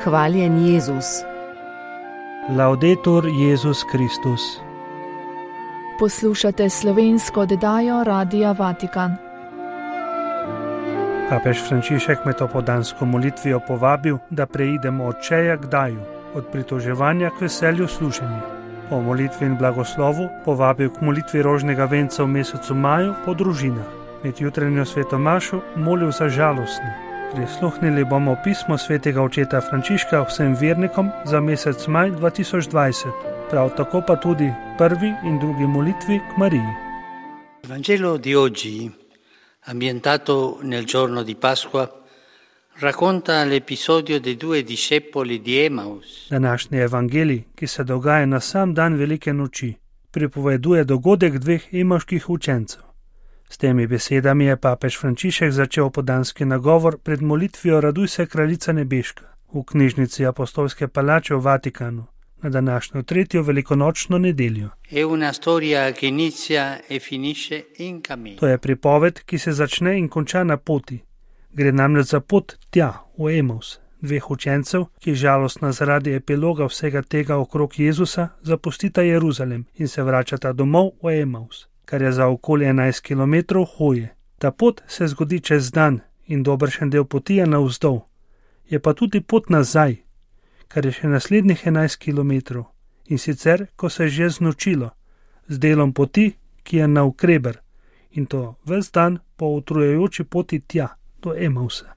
Hvaljen Jezus. Laudetur Jezus Kristus. Poslušate slovensko oddajo Radia Vatikan. Papež Frančišek med opoldansko molitvijo povabil, da preidemo od čeja k daju, od pritoževanja k veselju služenja. Po molitvi in blagoslovu povabil k molitvi rožnega venca v mesecu maju po družinah. Med jutranjo svetomašo molil za žalostne. Prisluhnili bomo pismo svetega očeta Frančiška vsem vernikom za mesec maj 2020, prav tako pa tudi prvi in drugi molitvi k Mariji. Il Vangelo di oggi, ambientato nel giorno di Pasqua, racconta l'episodio dei due discepoli di Emaus. Današnji evangelij, ki se dogaja na sam dan velike noči, pripoveduje dogodek dveh emavških učencev. S temi besedami je papež Frančišek začel opoldanski nagovor pred molitvijo Raduj se, kraljica nebeška v knjižnici Apostolske palače v Vatikanu na današnjo tretjo velikonočno nedeljo. To je pripoved, ki se začne in konča na poti. Gre namreč za pot tja, v Emaus, dveh učencev, ki žalostno zaradi epiloga vsega tega okrog Jezusa zapustita Jeruzalem in se vračata domov v Emaus, kar je za okoli 11 kilometrov hoje. Ta pot se zgodi čez dan in dobršen del poti je navzdol. Je pa tudi pot nazaj, kar je še naslednjih 11 kilometrov, in sicer, ko se je že znočilo, z delom poti, ki je navkreber, in to ves dan po utrujajoči poti tja, do Emausa.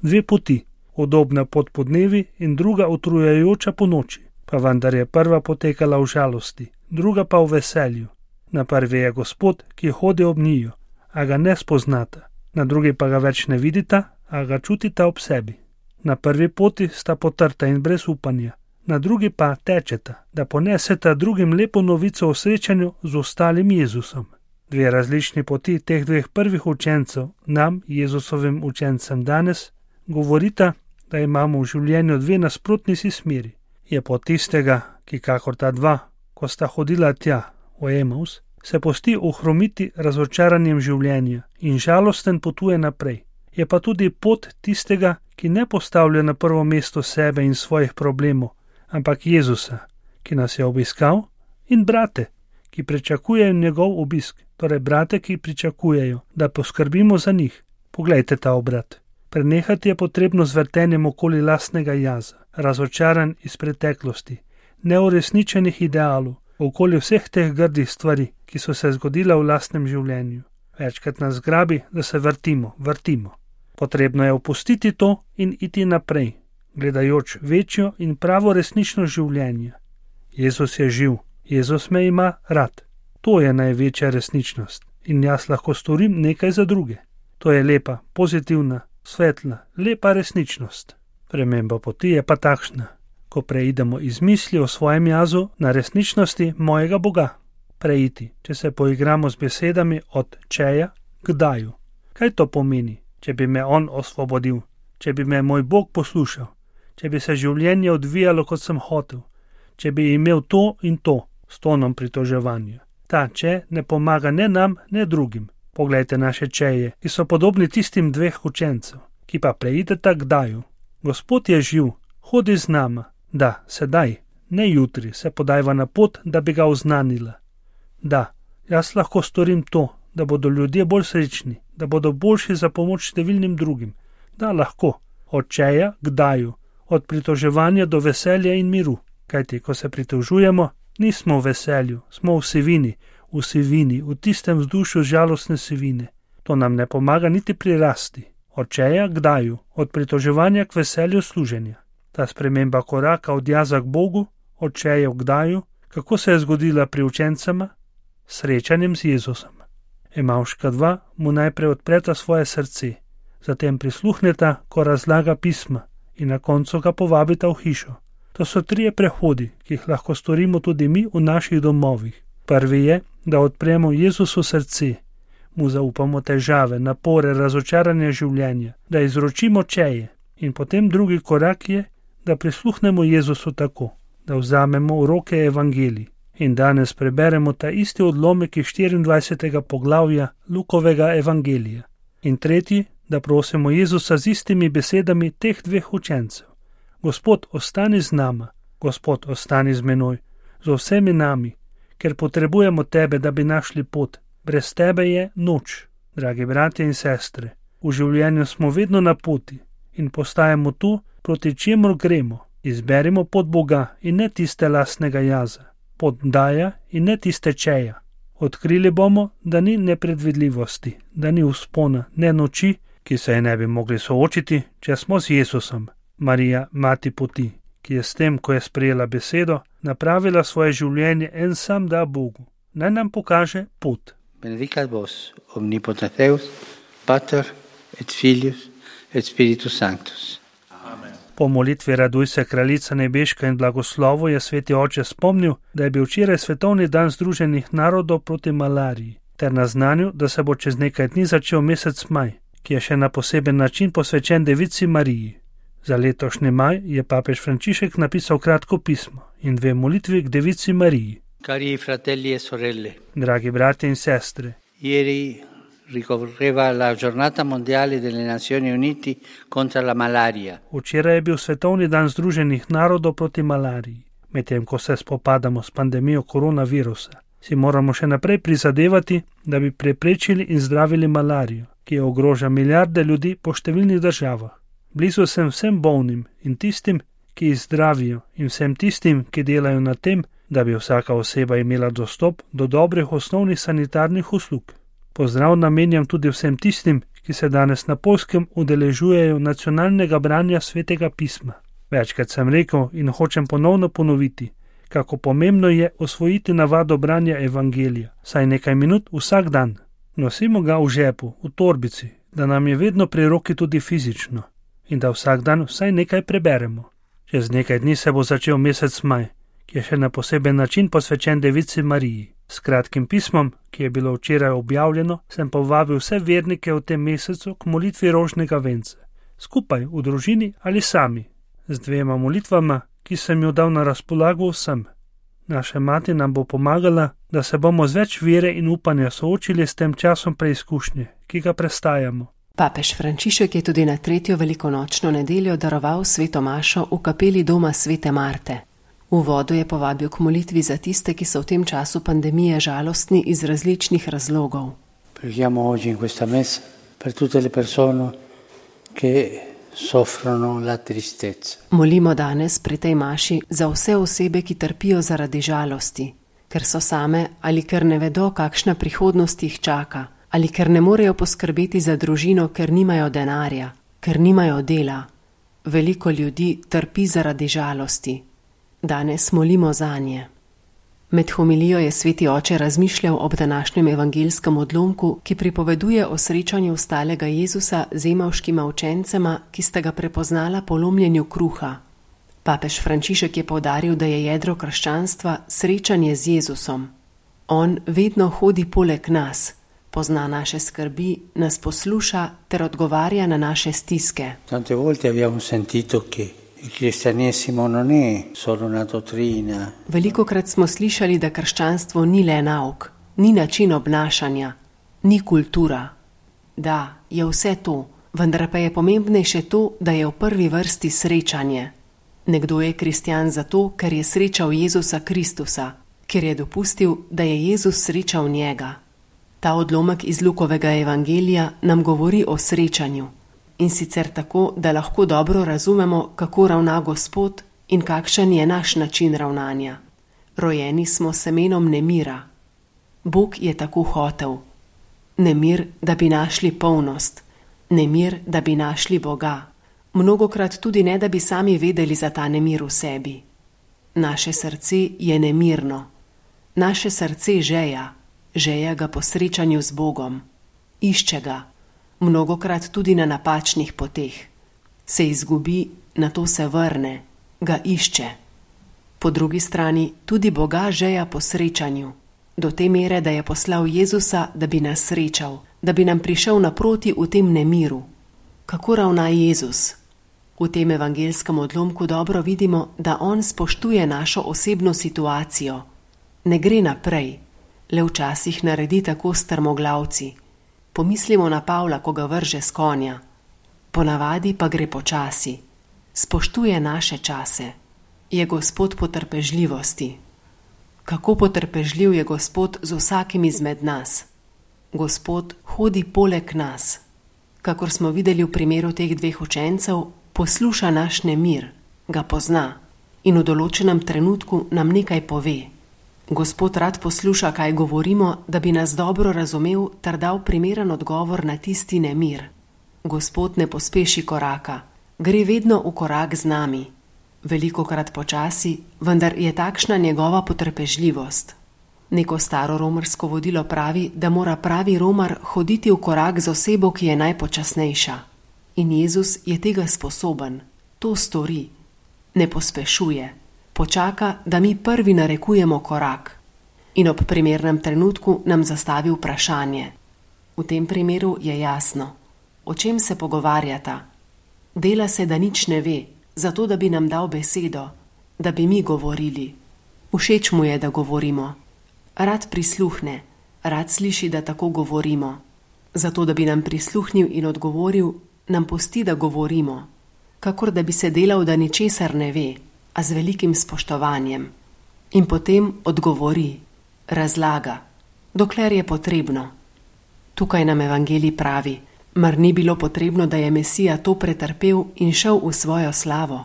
Dve poti, udobna pot podnevi in druga utrujajoča po noči, pa vendar je prva potekala v žalosti, druga pa v veselju. Na prvi je Gospod, ki hodi ob njiju, a ga ne spoznata, na drugi pa ga več ne vidita, a ga čutita ob sebi. Na prvi poti sta potrta in brez upanja, na drugi pa tečeta, da poneseta drugim lepo novico o srečanju z ostalim Jezusom. Dve različni poti teh dveh prvih učencev, nam, Jezusovim učencem danes, govorita, da imamo v življenju dve nasprotni si smeri. Je pot tistega, ki kakor ta dva, ko sta hodila tja, v Emaus, se pusti ohromiti razočaranjem življenja in žalosten potuje naprej. Je pa tudi pot tistega, ki ne postavlja na prvo mesto sebe in svojih problemov, ampak Jezusa, ki nas je obiskal, in brate, ki pričakujejo njegov obisk, torej brate, ki pričakujejo, da poskrbimo za njih. Poglejte ta obrat. Prenehati je potrebno z vrtenjem okoli lastnega jaza, razočaran iz preteklosti, neuresničenih idealov, okoli vseh teh grdih stvari, ki so se zgodile v lastnem življenju. Večkrat nas grabi, da se vrtimo. Potrebno je opustiti to in iti naprej, gledajoč večjo in pravo resničnost življenja. Jezus je živ, Jezus me ima rad. To je največja resničnost in jaz lahko storim nekaj za druge. To je lepa, pozitivna, svetla, lepa resničnost. Prememba poti je pa takšna, ko preidemo iz misli o svojem jazu na resničnosti mojega Boga. Preiti, če se poigramo z besedami od čeja k daju. Kaj to pomeni, če bi me on osvobodil, če bi me moj Bog poslušal, če bi se življenje odvijalo, kot sem hotel, če bi imel to in to s tonom pritoževanja. Ta če ne pomaga ne nam, ne drugim. Poglejte naše čeje, ki so podobni tistim dveh učencev, ki pa preideta k daju. Gospod je živ, hodi z nama. Da, sedaj, ne jutri, se podajva na pot, da bi ga oznanila. Da, jaz lahko storim to, da bodo ljudje bolj srečni, da bodo boljši za pomoč številnim drugim. Da, lahko, od čeja k daju, od pritoževanja do veselja in miru. Kajti, ko se pritožujemo, nismo v veselju, smo v sivini, v tistem vzdušju žalostne sivine. To nam ne pomaga niti pri rasti. Od čeja k daju, od pritoževanja k veselju služenja. Ta sprememba koraka od jaza k Bogu, od čeja k daju, kako se je zgodila pri učencema? Srečanjem z Jezusom. Emavška dva mu najprej odpreta svoje srce, zatem prisluhneta, ko razlaga pisma in na koncu ga povabita v hišo. To so trije prehodi, ki jih lahko storimo tudi mi v naših domovih. Prvi je, da odpremo Jezusu srce, mu zaupamo težave, napore, razočaranje življenja, da izročimo čeje. In potem drugi korak je, da prisluhnemo Jezusu tako, da vzamemo v roke evangelij. In danes preberemo ta isti odlomek iz 24. poglavja Lukovega evangelija. In tretji, da prosimo Jezusa z istimi besedami teh dveh učencev. Gospod, ostani z nama, Gospod, ostani z menoj, z vsemi nami, ker potrebujemo tebe, da bi našli pot. Brez tebe je noč, dragi bratje in sestre. V življenju smo vedno na poti in postajamo tu, proti čemur gremo. Izberimo pot Boga in ne tiste lastnega jaza, pot daja in ne tiste čeja. Odkrili bomo, da ni nepredvidljivosti, da ni vzpona, ne noči, ki se je ne bi mogli soočiti, če smo z Jezusom. Marija, mati poti, ki je s tem, ko je sprejela besedo, napravila svoje življenje en sam da Bogu. Naj nam pokaže pot. Benedicat vos, omnipotens Deus, Pater et Filius et Spiritus Sanctus. Amen. Po molitvi Raduj se, kraljica nebeška, in blagoslovu je sveti oče spomnil, da je bil včeraj svetovni dan Združenih narodov proti malariji, ter naznanil, da se bo čez nekaj dni začel mesec maj, ki je še na poseben način posvečen Devici Mariji. Za letošnji maj je papež Frančišek napisal kratko pismo in 2 molitvi k Devici Mariji. Cari fratelli e sorelle, dragi bratje in sestre, ieri ricorreva la giornata mondiale delle Nazioni Unite contro la malaria. Včeraj je bil svetovni dan Združenih narodov proti malariji. Medtem ko se spopadamo s pandemijo koronavirusa, si moramo še naprej prizadevati, da bi preprečili in zdravili malarijo, ki jo ogroža milijarde ljudi po številnih državah. Blizu sem vsem bolnim in tistim, ki jih zdravijo, in vsem tistim, ki delajo na tem, da bi vsaka oseba imela dostop do dobrih osnovnih sanitarnih uslug. Pozdrav namenjam tudi vsem tistim, ki se danes na Poljskem udeležujejo nacionalnega branja svetega pisma. Večkrat sem rekel in hočem ponovno ponoviti, kako pomembno je osvojiti navado branja evangelija, saj nekaj minut vsak dan. Nosimo ga v žepu, v torbici, da nam je vedno pri roki tudi fizično in da vsak dan vsaj nekaj preberemo. Čez nekaj dni se bo začel mesec maj, ki je še na poseben način posvečen Devici Mariji. S kratkim pismom, ki je bilo včeraj objavljeno, sem povabil vse vernike v tem mesecu k molitvi rožnega venca, skupaj v družini ali sami, z 2 molitvama, ki sem jo dal na razpolago vsem. Naša mati nam bo pomagala, da se bomo z več vere in upanja soočili s tem časom preizkušnje, ki ga prestajamo. Papež Frančišek je tudi na 3. velikonočno nedeljo daroval sveto mašo v kapeli doma svete Marte. V uvodu je povabil k molitvi za tiste, ki so v tem času pandemije žalostni iz različnih razlogov. Preghiamo oggi in questa messa per tutte le persone che soffrono la tristezza. Molimo danes pri tej maši za vse osebe, ki trpijo zaradi žalosti, ker so same ali ker ne vedo, kakšna prihodnost jih čaka, ali ker ne morejo poskrbeti za družino, ker nimajo denarja, ker nimajo dela. Veliko ljudi trpi zaradi žalosti. Danes molimo zanje. Med homilijo je sveti oče razmišljal ob današnjem evangelskem odlomku, ki pripoveduje o srečanju vstalega Jezusa z emavškima učencema, ki sta ga prepoznala po lomljenju kruha. Papež Frančišek je poudaril, da je jedro krščanstva srečanje z Jezusom. On vedno hodi poleg nas, pozna naše skrbi, nas posluša ter odgovarja na naše stiske. Tante volte abbiamo sentito che il cristianesimo non è solo una dottrina. Velikokrat smo slišali, da krščanstvo ni le nauk, ni način obnašanja, ni kultura. Da, je vse to, vendar pa je pomembnejše to, da je v prvi vrsti srečanje. Nekdo je kristjan zato, ker je srečal Jezusa Kristusa, ker je dopustil, da je Jezus srečal njega. Ta odlomek iz Lukovega evangelija nam govori o srečanju. In sicer tako, da lahko dobro razumemo, kako ravna Gospod in kakšen je naš način ravnanja. Rojeni smo semenom nemira. Bog je tako hotel. Nemir, da bi našli polnost. Nemir, da bi našli Boga. Mnogokrat tudi ne, da bi sami vedeli za ta nemir v sebi. Naše srce je nemirno. Naše srce žeja ga po srečanju z Bogom. Išče ga. Mnogokrat tudi na napačnih poteh. Se izgubi, nato se vrne, ga išče. Po drugi strani tudi Boga žeja po srečanju, do te mere, da je poslal Jezusa, da bi nas srečal, da bi nam prišel naproti v tem nemiru. Kako ravna Jezus? V tem evangelskem odlomku dobro vidimo, da on spoštuje našo osebno situacijo. Ne gre naprej, le včasih naredi tako strmoglavci. Pomislimo na Pavla, ko ga vrže s konja. Ponavadi pa gre počasi. spoštuje naše čase. Je Gospod potrpežljivosti. Kako potrpežljiv je Gospod z vsakim izmed nas. Gospod hodi poleg nas. Kakor smo videli v primeru teh dveh učencev, posluša naš nemir, ga pozna in v določenem trenutku nam nekaj pove. Gospod rad posluša, kaj govorimo, da bi nas dobro razumel ter dal primeren odgovor na tisti nemir. Gospod ne pospeši koraka, gre vedno v korak z nami. Velikokrat počasi, vendar je takšna njegova potrpežljivost. Neko staro romarsko vodilo pravi, da mora pravi romar hoditi v korak z osebo, ki je najpočasnejša. In Jezus je tega sposoben, to stori. Ne pospešuje, počaka, da mi prvi narekujemo korak. In ob primernem trenutku nam zastavi vprašanje. V tem primeru je jasno, o čem se pogovarjata. Dela se, da nič ne ve, zato da bi nam dal besedo, da bi mi govorili. Všeč mu je, da govorimo. Rad prisluhne, rad sliši, da tako govorimo. Zato, da bi nam prisluhnil in odgovoril, nam pusti, da govorimo. Kakor da bi se delal, da ničesar ne ve, a z velikim spoštovanjem. In potem odgovori, razlaga, dokler je potrebno. Tukaj nam evangelij pravi, mar ni bilo potrebno, da je Mesija to pretrpel in šel v svojo slavo.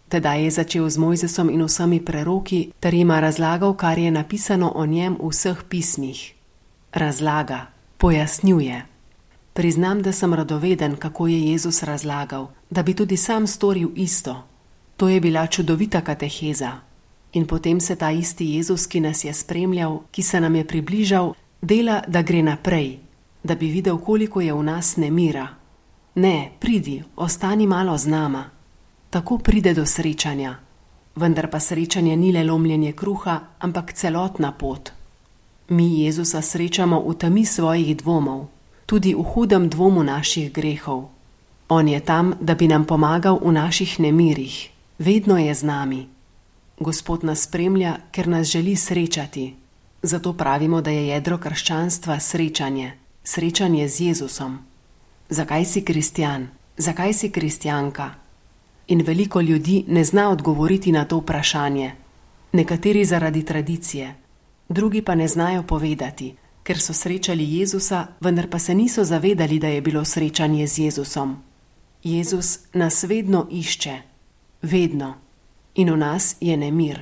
Tedaj je začel z Mojzesom in vsemi preroki, ter jima razlagal, kar je napisano o njem v vseh pismih. Razlaga, pojasnjuje. Priznam, da sem radoveden, kako je Jezus razlagal, da bi tudi sam storil isto. To je bila čudovita kateheza. In potem se ta isti Jezus, ki nas je spremljal, ki se nam je približal, dela, da gre naprej, da bi videl, koliko je v nas nemira. Ne, pridi, ostani malo z nama. Tako pride do srečanja. Vendar pa srečanje ni le lomljenje kruha, ampak celotna pot. Mi Jezusa srečamo v temi svojih dvomov, tudi v hudem dvomu naših grehov. On je tam, da bi nam pomagal v naših nemirih. Vedno je z nami. Gospod nas spremlja, ker nas želi srečati. Zato pravimo, da je jedro krščanstva srečanje. Srečanje z Jezusom. Zakaj si kristjan? Zakaj si kristjanka? In veliko ljudi ne zna odgovoriti na to vprašanje. Nekateri zaradi tradicije, drugi pa ne znajo povedati, ker so srečali Jezusa, vendar pa se niso zavedali, da je bilo srečanje z Jezusom. Jezus nas vedno išče. Vedno. In v nas je nemir.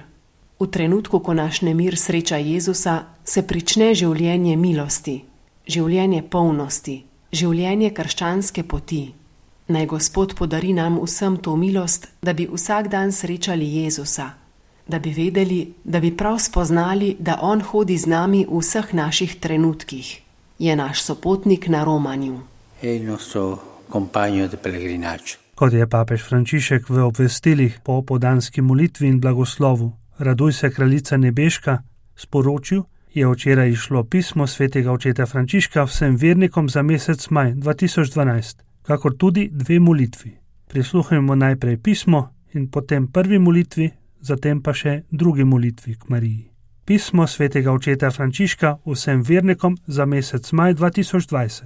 V trenutku, ko naš nemir sreča Jezusa, se prične življenje milosti, življenje polnosti, življenje krščanske poti. Naj Gospod podari nam vsem to milost, da bi vsak dan srečali Jezusa, da bi vedeli, da bi prav spoznali, da On hodi z nami v vseh naših trenutkih. Je naš sopotnik na romanju. Kot je papež Frančišek v obvestilih po opoldanski molitvi in blagoslovu Raduj se, kraljica nebeška sporočil, je včeraj išlo pismo svetega očeta Frančiška vsem vernikom za mesec maj 2012. Kakor tudi dve molitvi. Prisluhnimo najprej pismo in potem prvi molitvi, zatem pa še drugi molitvi k Mariji. Pismo svetega očeta Frančiška vsem vernikom za mesec maj 2020.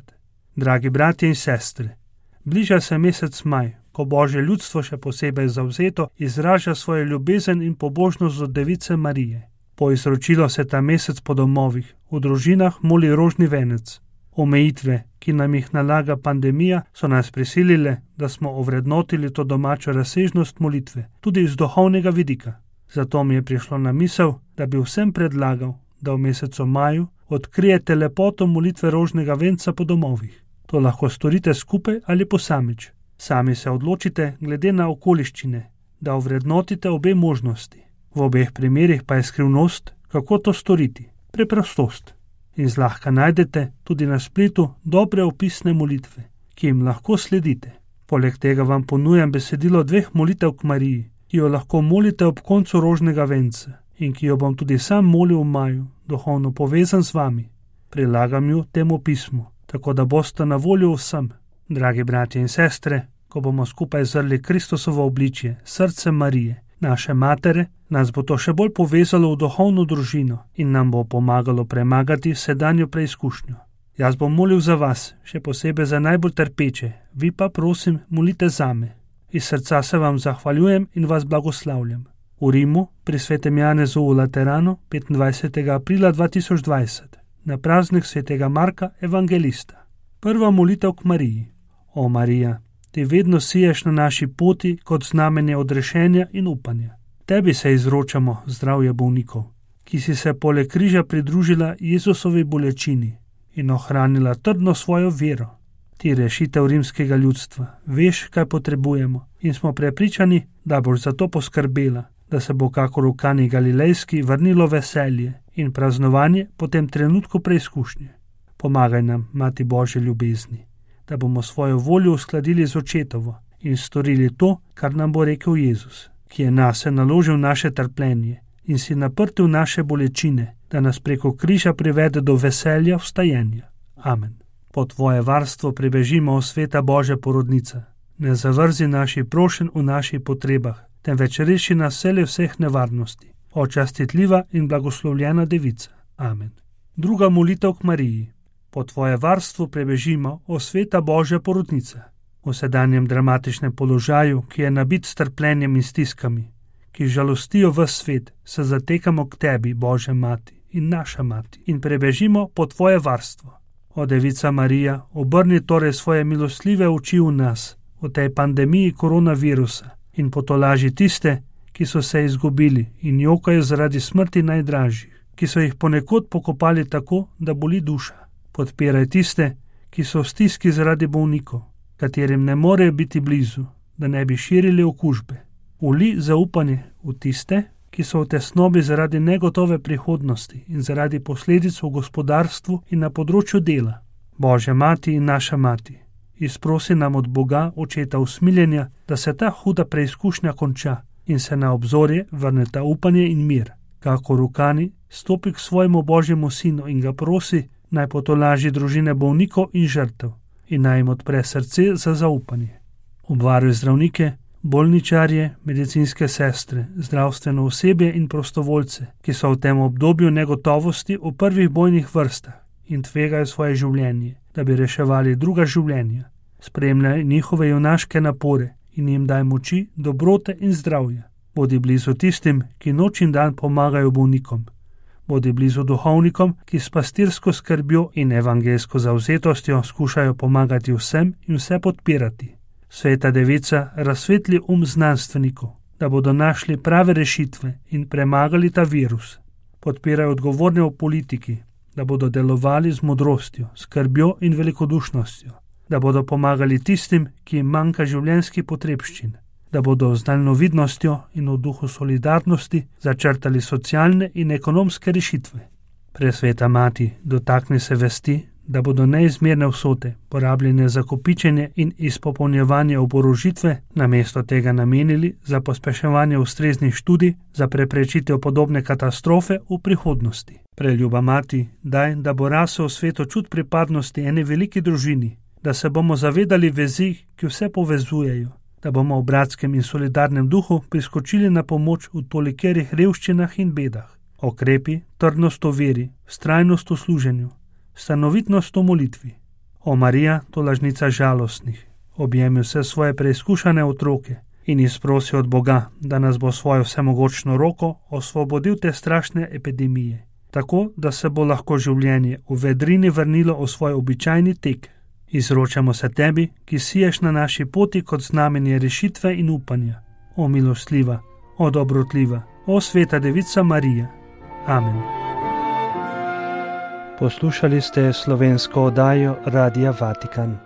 Dragi bratje in sestre, bliža se mesec maj, ko Božje ljudstvo še posebej zavzeto izraža svojo ljubezen in pobožnost do Device Marije. Po izročilu se ta mesec po domovih, v družinah moli rožni venec. Omejitve, ki nam jih nalaga pandemija, so nas prisilile, da smo ovrednotili to domačo razsežnost molitve, tudi iz duhovnega vidika. Zato mi je prišlo na misel, da bi vsem predlagal, da v mesecu maju odkrijete lepoto molitve rožnega venca po domovih. To lahko storite skupaj ali posamič. Sami se odločite glede na okoliščine, da ovrednotite obe možnosti. V obeh primerih pa je skrivnost, kako to storiti, preprostost. In zlahka najdete tudi na spletu dobre opisne molitve, ki jim lahko sledite. Poleg tega vam ponujam besedilo dveh molitev k Mariji, ki jo lahko molite ob koncu rožnega venca in ki jo bom tudi sam molil v maju, duhovno povezan z vami. Prilagam jo temu pismu, tako da boste na voljo vsem. Dragi bratje in sestre, ko bomo skupaj zrli Kristusovo obličje, srce Marije, naše matere, nas bo to še bolj povezalo v duhovno družino in nam bo pomagalo premagati sedanjo preizkušnjo. Jaz bom molil za vas, še posebej za najbolj trpeče, vi pa prosim molite zame. Iz srca se vam zahvaljujem in vas blagoslavljam. V Rimu, pri svetem Janezu v Lateranu, 25. aprila 2020, na praznik svetega Marka Evangelista. Prva molitev k Mariji. O Marija, ti vedno siješ na naši poti kot znamenje odrešenja in upanja. Tebi se izročamo, zdravje bolnikov, ki si se poleg križa pridružila Jezusovi bolečini in ohranila trdno svojo vero. Ti rešitev rimskega ljudstva, veš, kaj potrebujemo in smo prepričani, da boš za to poskrbela, da se bo kakor v Kani Galilejski vrnilo veselje in praznovanje po tem trenutku preizkušnje. Pomagaj nam, Mati Božje ljubezni, da bomo svojo voljo uskladili z očetovo in storili to, kar nam bo rekel Jezus, ki je nase naložil naše trpljenje in si naprtil naše bolečine, da nas preko križa privede do veselja vstajenja. Amen. Po tvoje varstvo prebežimo, o sveta Božja porodnica. Ne zavrzi naših prošenj v naših potrebah, temveč reši nas vseh nevarnosti. O častitljiva in blagoslovljena devica. Amen. Druga molitev k Mariji. Po tvoje varstvo prebežimo, o sveta Božja porodnica. V sedanjem dramatičnem položaju, ki je nabit s trpljenjem in stiskami, ki žalostijo ves svet, se zatekamo k tebi, Božja mati in naša mati, in prebežimo po tvoje varstvo. O devica Marija, obrni torej svoje milosljive oči v nas, v tej pandemiji koronavirusa, in potolaži tiste, ki so se izgubili in jokajo zaradi smrti najdražjih, ki so jih ponekod pokopali tako, da boli duša. Podpiraj tiste, ki so v stiski zaradi bolnikov, katerim ne morejo biti blizu, da ne bi širili okužbe. Vli zaupanje v tiste, ki so v tesnobi zaradi negotove prihodnosti in zaradi posledic v gospodarstvu in na področju dela. Božja mati in naša mati, izprosi nam od Boga, očeta usmiljenja, da se ta huda preizkušnja konča in se na obzorje vrneta upanje in mir. Kakor v Kani, stopi k svojemu Božjemu sinu in ga prosi, naj potolaži družine bolnikov in žrtev in naj jim odpre srce za zaupanje. Obvaruj zdravnike, bolničarje, medicinske sestre, zdravstveno osebje in prostovoljce, ki so v tem obdobju negotovosti v prvih bojnih vrstah in tvegajo svoje življenje, da bi reševali druga življenja. Spremljaj njihove junaške napore in jim daj moči, dobrote in zdravja. Bodi blizu tistim, ki noč in dan pomagajo bolnikom. Bodi blizu duhovnikom, ki s pastirsko skrbjo in evangelsko zavzetostjo skušajo pomagati vsem in vse podpirati. Sveta devica, razsvetli znanstvenikov, da bodo našli prave rešitve in premagali ta virus. Podpiraj odgovorne v politiki, da bodo delovali z modrostjo, skrbjo in velikodušnostjo, da bodo pomagali tistim, ki jim manjka življenjskih potrebščin, da bodo z daljnovidnostjo in v duhu solidarnosti začrtali socialne in ekonomske rešitve. Presveta mati, dotakni se vesti, da bodo neizmerne vsote porabljene za kopičenje in izpopolnjevanje oborožitve, namesto tega namenili za pospeševanje ustreznih študij za preprečitev podobne katastrofe v prihodnosti. Preljuba mati, daj, da bo rasel v svetu čut pripadnosti eni veliki družini, da se bomo zavedali vezi, ki vse povezujejo, da bomo v bratskem in solidarnem duhu priskočili na pomoč v tolikerih revščinah in bedah. Okrepi trdnost v veri, vztrajnost v služenju, stanovitnost v molitvi. O Marija, tolažnica žalostnih, objemi vse svoje preizkušane otroke in izprosi od Boga, da nas bo svojo vsemogočno roko osvobodil te strašne epidemije, tako da se bo lahko življenje v vedrini vrnilo v svoj običajni tek. Izročamo se tebi, ki siješ na naši poti kot znamenje rešitve in upanja. O milostljiva, o dobrotljiva, o sveta devica Marija. Amen. Poslušali ste slovensko oddajo Radia Vatikan.